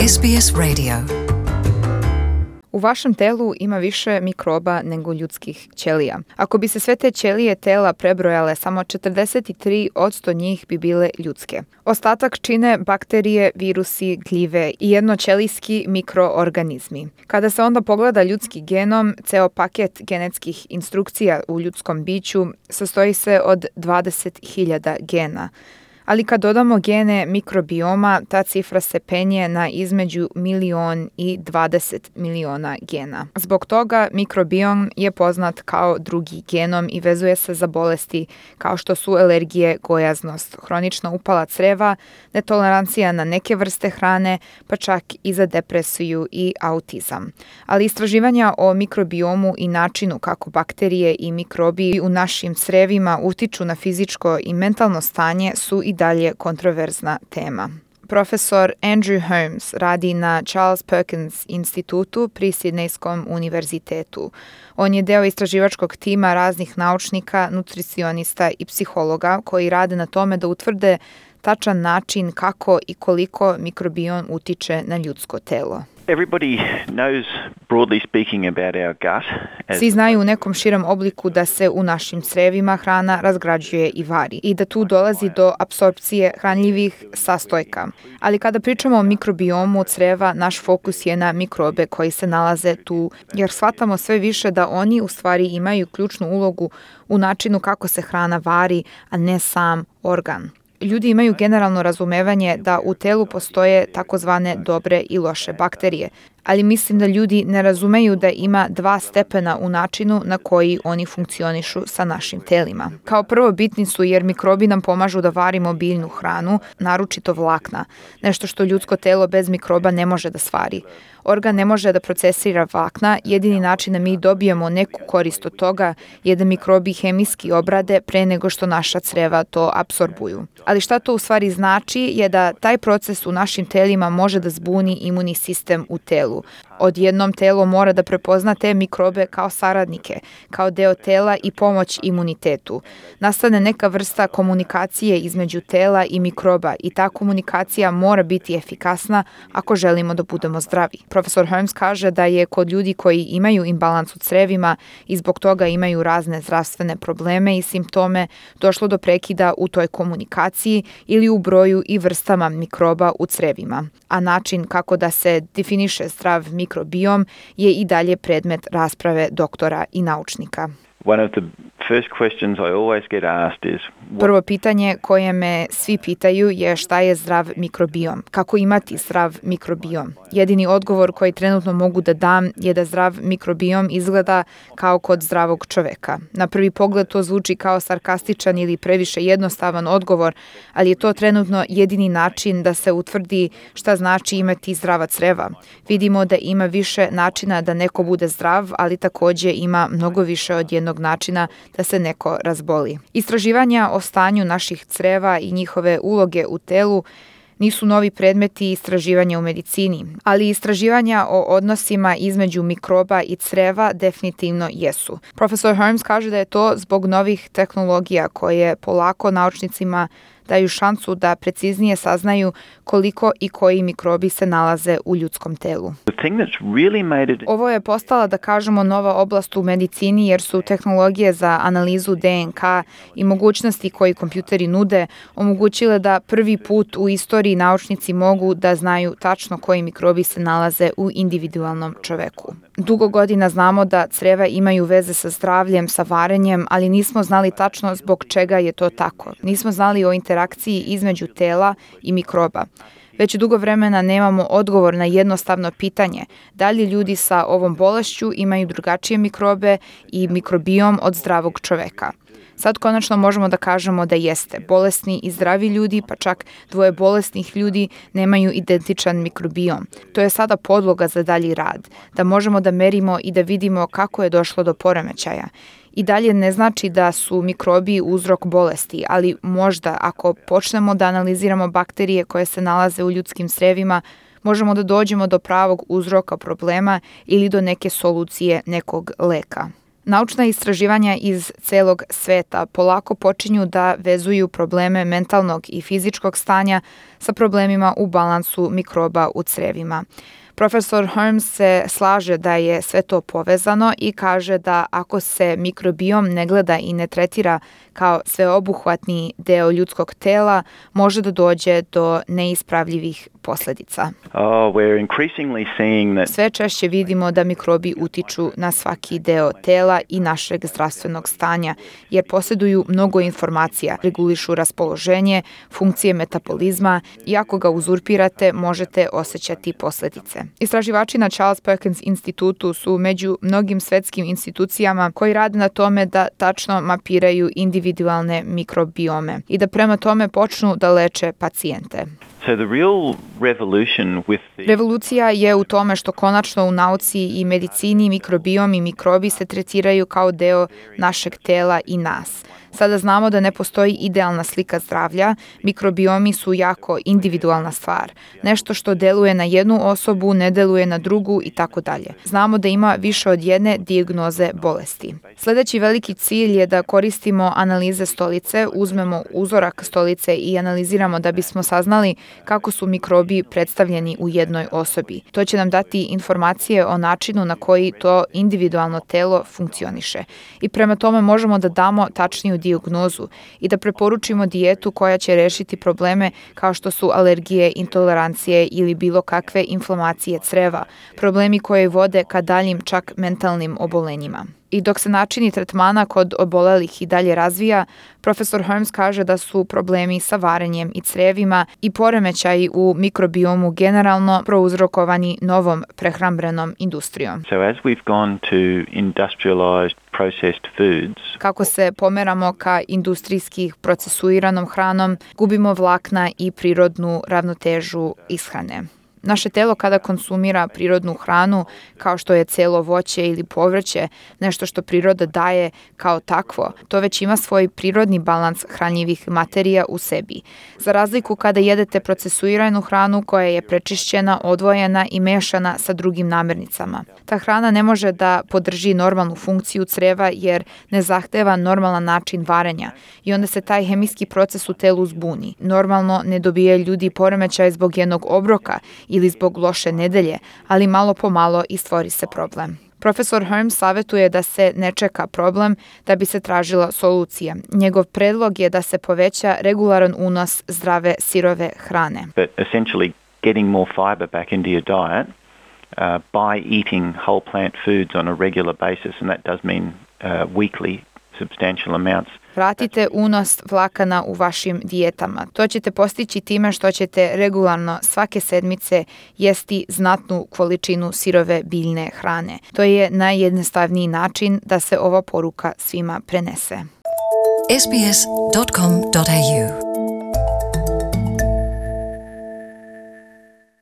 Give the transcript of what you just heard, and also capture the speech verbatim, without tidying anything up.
S B S Radio. U vašem telu ima više mikroba nego ljudskih ćelija. Ako bi se sve te ćelije tela prebrojale, samo četrdeset tri posto njih bi bile ljudske. Ostatak čine bakterije, virusi, gljive i jednoćelijski mikroorganizmi. Kada se onda pogleda ljudski genom, ceo paket genetskih instrukcija u ljudskom biću sastoji se od dvadeset hiljada gena. Ali kad dodamo gene mikrobioma, ta cifra se penje na između milion i dvadeset miliona gena. Zbog toga mikrobiom je poznat kao drugi genom i vezuje se za bolesti kao što su alergije, gojaznost, hronična upala creva, netolerancija na neke vrste hrane, pa čak i za depresiju i autizam. Ali istraživanja o mikrobiomu i načinu kako bakterije i mikrobi u našim crevima utiču na fizičko i mentalno stanje su i dalje kontroverzna tema. Profesor Andrew Holmes radi na Charles Perkins institutu pri Sidnejskom univerzitetu. On je deo istraživačkog tima raznih naučnika, nutricionista i psihologa koji rade na tome da utvrde tačan način kako i koliko mikrobiom utiče na ljudsko telo. Everybody knows, broadly speaking, about our gut. Svi znaju u nekom širem obliku da se u našim crevima hrana razgrađuje i vari i da tu dolazi do apsorpcije hranljivih sastojka. Ali kada pričamo o mikrobiomu creva, naš fokus je na mikrobe koji se nalaze tu, jer shvatamo sve više da oni u stvari imaju ključnu ulogu u načinu kako se hrana vari, a ne sam organ. Ljudi imaju generalno razumevanje da u telu postoje takozvane dobre i loše bakterije, ali mislim da ljudi ne razumeju da ima dva stepena u načinu na koji oni funkcionišu sa našim telima. Kao prvo bitni su jer mikrobi nam pomažu da varimo biljnu hranu, naročito vlakna, nešto što ljudsko telo bez mikroba ne može da stvari. Organ ne može da procesira vlakna, jedini način da mi dobijemo neku korist od toga je da mikrobi hemijski obrade pre nego što naša creva to apsorbuju. Ali šta to u stvari znači je da taj proces u našim telima može da zbuni imunni sistem u telu. Odjednom telo mora da prepozna te mikrobe kao saradnike, kao deo tela i pomoć imunitetu. Nastane neka vrsta komunikacije između tela i mikroba i ta komunikacija mora biti efikasna ako želimo da budemo zdravi. Profesor Holmes kaže da je kod ljudi koji imaju imbalans u crevima i zbog toga imaju razne zdravstvene probleme i simptome došlo do prekida u toj komunikaciji ili u broju i vrstama mikroba u crevima. A način kako da se definiše zdrav mikrobiom je i dalje predmet rasprave doktora i naučnika. One of the first questions I always get asked is what... Prvo pitanje koje me svi pitaju je šta je zdrav mikrobiom, kako imati zdrav mikrobiom. Jedini odgovor koji trenutno mogu da dam je da zdrav mikrobiom izgleda kao kod zdravog čoveka. Na prvi pogled to zvuči kao sarkastičan ili previše jednostavan odgovor, ali je to trenutno jedini način da se utvrdi šta znači imati zdrava creva. Vidimo da ima više načina da neko bude zdrav, ali takođe ima mnogo više od jednog načina da se neko razboli. Istraživanja o stanju naših creva i njihove uloge u telu nisu novi predmeti istraživanja u medicini, ali istraživanja o odnosima između mikroba i creva definitivno jesu. Profesor Holmes kaže da je to zbog novih tehnologija koje polako naučnicima daju šansu da preciznije saznaju koliko i koji mikrobi se nalaze u ljudskom telu. Ovo je postala, da kažemo, nova oblast u medicini jer su tehnologije za analizu D N K i mogućnosti koji kompjuteri nude omogućile da prvi put u istoriji naučnici mogu da znaju tačno koji mikrobi se nalaze u individualnom čoveku. Dugo godina znamo da creva imaju veze sa zdravljem, sa varenjem, ali nismo znali tačno zbog čega je to tako. Nismo znali o interakciji između tela i mikroba. Već dugo vremena nemamo odgovor na jednostavno pitanje da li ljudi sa ovom bolešću imaju drugačije mikrobe i mikrobiom od zdravog čoveka. Sad konačno možemo da kažemo da jeste. Bolesni i zdravi ljudi, pa čak dvoje bolesnih ljudi nemaju identičan mikrobiom. To je sada podloga za dalji rad, da možemo da merimo i da vidimo kako je došlo do poremećaja. I dalje ne znači da su mikrobi uzrok bolesti, ali možda ako počnemo da analiziramo bakterije koje se nalaze u ljudskim crevima, možemo da dođemo do pravog uzroka problema ili do neke solucije nekog leka. Naučna istraživanja iz celog sveta polako počinju da vezuju probleme mentalnog i fizičkog stanja sa problemima u balansu mikroba u crevima. Profesor Holmes se slaže da je sve to povezano i kaže da ako se mikrobiom ne gleda i ne tretira kao sveobuhvatni deo ljudskog tela, može da dođe do neispravljivih posledica. Oh, we're increasingly seeing that... Sve češće vidimo da mikrobi utiču na svaki deo tela i našeg zdravstvenog stanja, jer posjeduju mnogo informacija, regulišu raspoloženje, funkcije metabolizma i ako ga uzurpirate, možete osjećati posledice. Istraživači na Charles Perkins institutu su među mnogim svetskim institucijama koji rade na tome da tačno mapiraju individualne mikrobiome i da prema tome počnu da leče pacijente. So the real revolution with the... Revolucija je u tome što konačno u nauci i medicini mikrobiom i mikrobi se tretiraju kao deo našeg tela i nas. Sada znamo da ne postoji idealna slika zdravlja, mikrobiomi su jako individualna stvar. Nešto što deluje na jednu osobu, ne deluje na drugu i tako dalje. Znamo da ima više od jedne dijagnoze bolesti. Sljedeći veliki cilj je da koristimo analize stolice, uzmemo uzorak stolice i analiziramo da bismo saznali kako su mikrobi predstavljeni u jednoj osobi. To će nam dati informacije o načinu na koji to individualno telo funkcioniše. I prema tome možemo da damo tačniju dijagnozu i da preporučimo dijetu koja će rešiti probleme kao što su alergije, intolerancije ili bilo kakve inflamacije creva, problemi koji vode ka daljim čak mentalnim obolenjima. I dok se načini tretmana kod obolelih i dalje razvija, profesor Holmes kaže da su problemi sa varenjem i crevima i poremećaji u mikrobiomu generalno prouzrokovani novom prehrambenom industrijom. So as we've gone to industrialized processed foods, kako se pomeramo ka industrijski procesuiranom hranom, gubimo vlakna i prirodnu ravnotežu ishrane. Naše telo kada konsumira prirodnu hranu, kao što je celo voće ili povrće, nešto što priroda daje kao takvo, to već ima svoj prirodni balans hranjivih materija u sebi. Za razliku kada jedete procesuiranu hranu koja je prečišćena, odvojena i mešana sa drugim namirnicama. Ta hrana ne može da podrži normalnu funkciju creva jer ne zahteva normalan način varenja i onda se taj hemijski proces u telu zbuni. Normalno ne dobijaju ljudi poremećaj zbog jednog obroka ili zbog loše nedelje, ali malo po malo i stvori se problem. Profesor Holmes savjetuje da se ne čeka problem da bi se tražila solucija. Njegov predlog je da se poveća regularan unos zdrave sirove hrane. But essentially getting more fiber back into your diet uh, by eating whole plant foods on a regular basis, and that does mean uh, weekly substantial amounts. Vratite unos vlakana u vašim dijetama. To ćete postići time što ćete regularno svake sedmice jesti znatnu količinu sirove biljne hrane. To je najjednostavniji način da se ova poruka svima prenese. s b s dot com dot a u